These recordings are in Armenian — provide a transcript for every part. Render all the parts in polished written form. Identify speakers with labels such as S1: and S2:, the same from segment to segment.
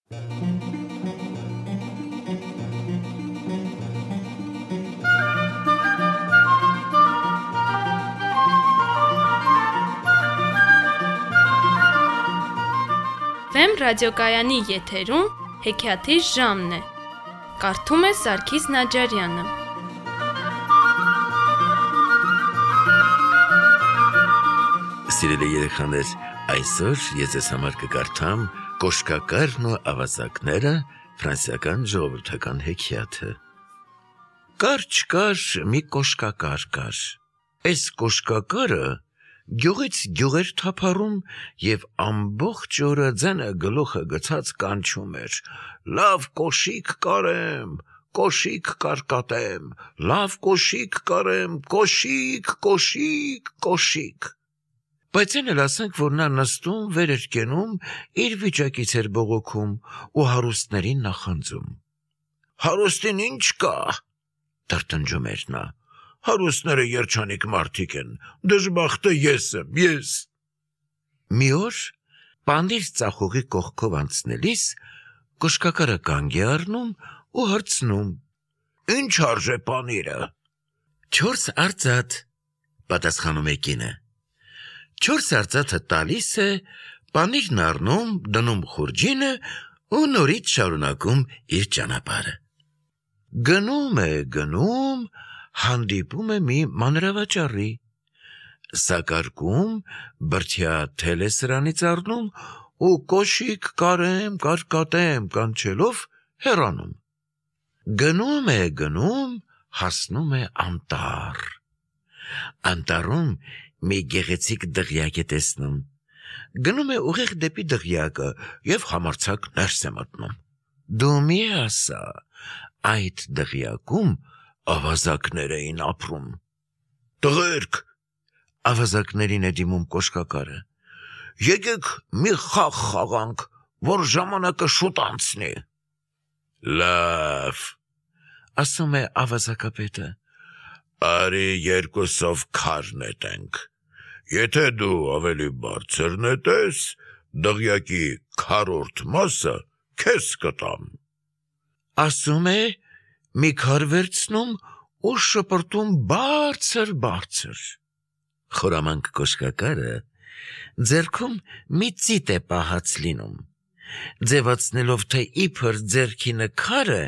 S1: Վեմ ռադիոկայանի եթերում հեքիաթի ժամն է։ Կարդում է Սարգիս Նաջարյանը։
S2: Սիրելի երեխաներ, այսօր ես ձեզ համար կկարդամ Կոշկակարն ու ավազակները ֆրանսիական ժողովրդական հեքիաթը։ Կար չկար մի կոշկակար կար։ Այս կոշկակարը գյուղից գյուղեր թափառում և ամբողջ օրը ձենը գլուխը գցած կանչում էր. «Լավ կոշիկ կարեմ, կոշիկ կարկատեմ, լավ կոշիկ կարեմ, կոշիկ, կոշիկ, կոշիկ»։ Բայց այն էլ ասենք, որ նա նստում, վեր էր կենում, իր վիճակից էր բողոքում ու հարուստներին նախանձում։ «Հարուստին ինչ կա», տրտնջում էր նա, «հարուստները երջանիկ մարդիկ են, դժբախտը ես եմ, ես»։ Մի օր պանիր ծախողի կողքով անցնելիս կոշկակարը կանգ է առնում ու հարցնում. «Ինչ արժե պանիրը»։ «4 արծաթ», պատասխանում է կինը։ 4 արծաթը տալիս է, պանիրն առնում, դնում խուրջինը ու նորից շարունակում իր ճանապարհը։ Գնում, հանդիպում է մի մանրավաճառի։ Սակարկում, բրդյա թել է սրանից առնում ու կոշիկ կարեմ, կարկատեմ կանչելով հեռանում։ Գնում, հասնում է անտառ։ Անտառում մի գեղեցիկ դղյակ է տեսնում։ Գնում է ուղիղ դեպի դղյակը և համարձակ ներս է մտնում։ Դու մի ասա, այդ դղյակում ավազակներ էին ապրում։ «Տղերք», ավազակներին է դիմում կոշկակարը, «եկեք մի խաղ խաղանք, որ ժամանակը շուտ անցնի»։ «Լավ», ասում է ավազակապետը, «արի երկուսով քար նետենք։ Եթե դու ավելի բարձր նետես, դղյակի քառորդ մասը քեզ կտամ»։ Ասում է, մի քար վերցնում ու շպրտում բարձր։ Խորամանկ կոշկակարը ձեռքում մի ծիտ է պահած լինում, ձևացնելով, թե իբր ձեռքինը քար է,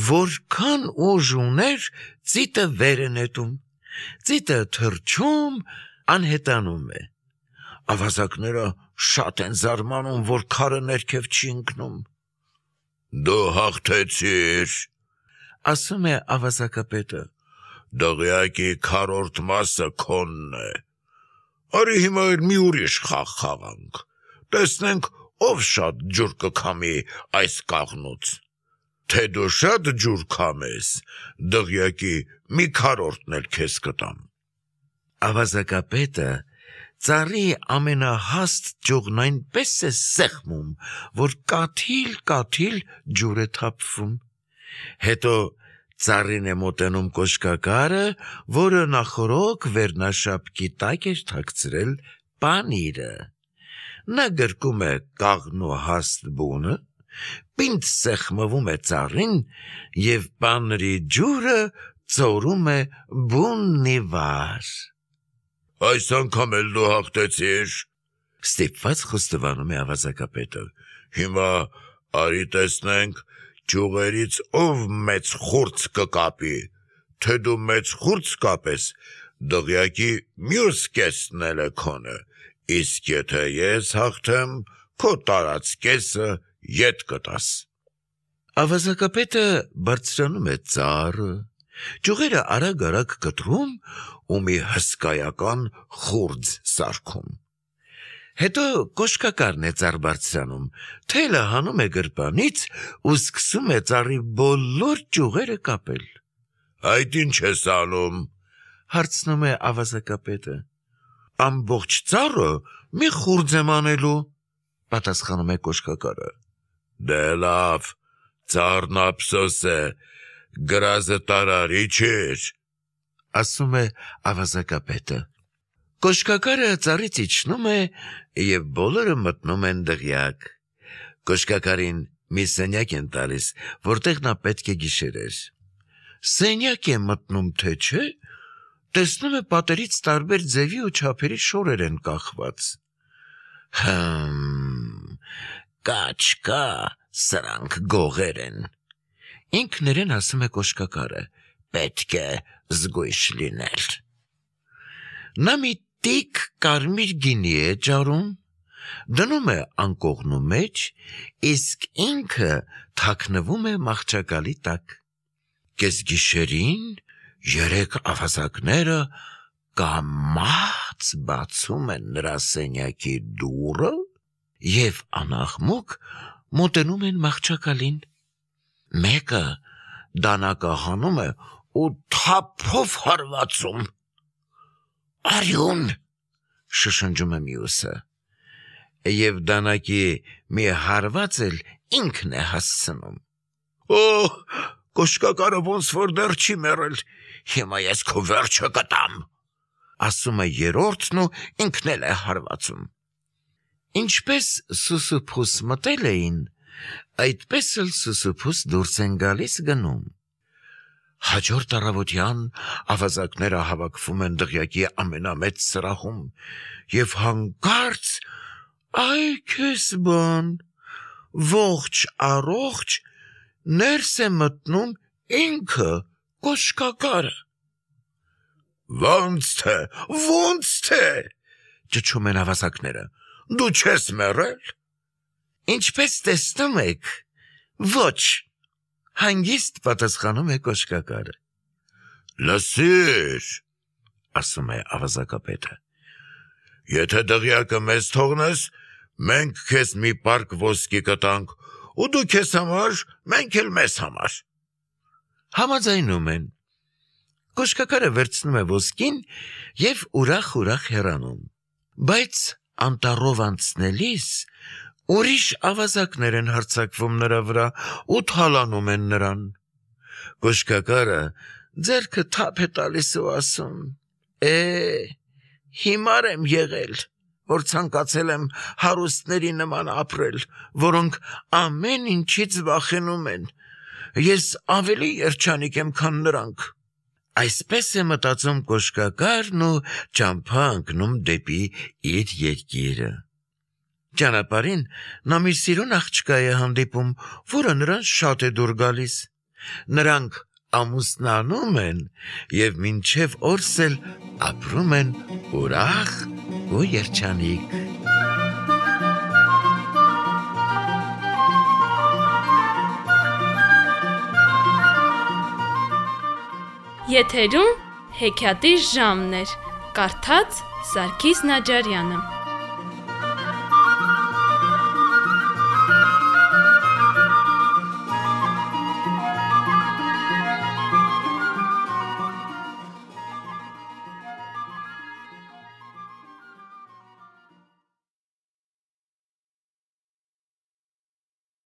S2: որքան ուժ ուներ, ծիտը վեր է նետում, ծիտը թռչում, անհետանում է։ Ավազակները շատ են զարմանում, որ քարը ներքև չի ընկնում։ «Դու հաղթեցիր», ասում է ավազակապետը, «դղյակի քառորդ մասը քոնն է։ Արի հիմա մի ուրիշ խաղ խաղանք, տեսնենք ով շատ ջուր կքամի այս կաղնուց։ Թե դու շատ ջուր քամես, դղյակի մի քառորդն էլ քեզ կտամ»։ Ավազակապետը ծառի ամենահաստ ճյուղն այնպես է սեղմում, որ կաթիլ ջուր է թափվում։ Հետո ծառին է մոտենում կոշկակարը, որը նախօրոք վերնաշապկի տակ էր թաքցրել պանիրը։ Նա գրկում է կաղնու հաստ բունը, պինդ սեղմվում է ծառին և պանրի ջուրը ծորում է բունն ի վար։ «Այս անգամ էլ դու հաղթեցիր», ստիպված խոստովանում է ավազակապետը։ «Հիմա արի տեսնենք, ճյուղերից ով մեծ խուրձ կկապի, թե դու մեծ խուրձ կապես, դղյակի մյուս կեսն էլ է քոնը, իսկ եթե ես հաղթեմ, քո տարած կեսը ետ կտաս»։ Ավազակապետը բարձրանում է ծառը, ճյուղերը արագ կտրում ու մի հսկայական խուրձ սարքում։ Հետո կոշկակարն է ծառ բարձրանում, թելը հանում է գրպանից ու սկսում է ծառի բոլոր ճյուղերը կապել։ «Այդ ինչ ես անում», հարցնում է ավազակապետը։ «Ամբողջ ծառը մի խուրձ եմ անելու», պատասխանում է կոշկակարը։ «Դե լավ, ծառն ափսոս է, գրազը տարարի չէր», ասում է ավազակապետը։ Կոշկակարը ծառից իջնում է և բոլորը մտնում են դղյակ։ Կոշկակարին Մի սենյակ են տալիս, որտեղ նա պետք է գիշերեր։ Սենյակ է մտնում, թե չէ, տեսնում է պատերից տարբեր ձևի ու չափերի շորեր են կախված։ Կաչկա, սրանք գողեր են։ Ինքն իրեն ասում է կոշկակարը, պետք է զգույշ լինել։ Նա մի տիք կարմիր գինի է ջարում, դնում է անկողնու մեջ, իսկ ինքը թաքնվում է մահճակալի տակ։ Կեսգիշերին 3 ավազակները կամաց բացում են նրա սենյակի դուռը և անաղմուկ մոտենում են մահճակալին։ Մեկը դանակը հանում է ու թափով հարվածում։ Արյուն, շշնջում է մյուսը, և դանակի մի հարված էլ ինքն է հասցնում։ Կոշկակարը ոնց որ դեռ չի մեռել, հիմա ես քո վերջը կտամ, ասում է երրորդն ու ինքն էլ է հարվածում։ Ինչպես սուսուփուս մտել էին, այդպես էլ սուսուփուս դուրս են գալիս գնում։ Հաջորդ առավոտյան ավազակները հավաքվում են դղյակի ամենամեծ սրահում և հանկարծ այ քեզ բան, ողջ առողջ ներս է մտնում ինքը կոշկակարը։ Ոնց թե, ճչում են ավազակները, դու չես մեռել։ Ինչպես տեսնում եք, ոչ, հանգիստ պատասխանում է կոշկակարը։ Լսիր, ասում է ավազակապետը, եթե դղյակը մեզ թողնես, մենք քեզ մի պարկ ոսկի կտանք, ու դու քեզ համար, մենք էլ մեզ համար։ Համաձայնում են։ Կոշկակարը վերցնում է ոսկին և ուրախ հեռանում։ Բայց անտառով անցնելիս ուրիշ ավազակներ են հարձակվում նրա վրա ու թալանում են նրան։ Կոշկակարը ձեռքը թափ է տալիս ու ասում. հիմար եմ եղել, որ ցանկացել եմ հարուստների նման ապրել, որոնք ամեն ինչից վախենում են։ Ես ավելի երջանիկ եմ, քան նրանք։ Այսպես է մտածում կոշկակարն ու ճամփա ընկնում դեպի իր երկիրը։ Ճանապարհին նա մի սիրուն աղջկա է հանդիպում, որը նրան շատ է դուր գալիս։ Նրանք ամուսնանում են և մինչև օրս էլ ապրում են ուրախ ու երջանիկ։
S1: Եթերում հեքիաթի ժամն էր, կարդաց Սարգիս Նաջարյանը։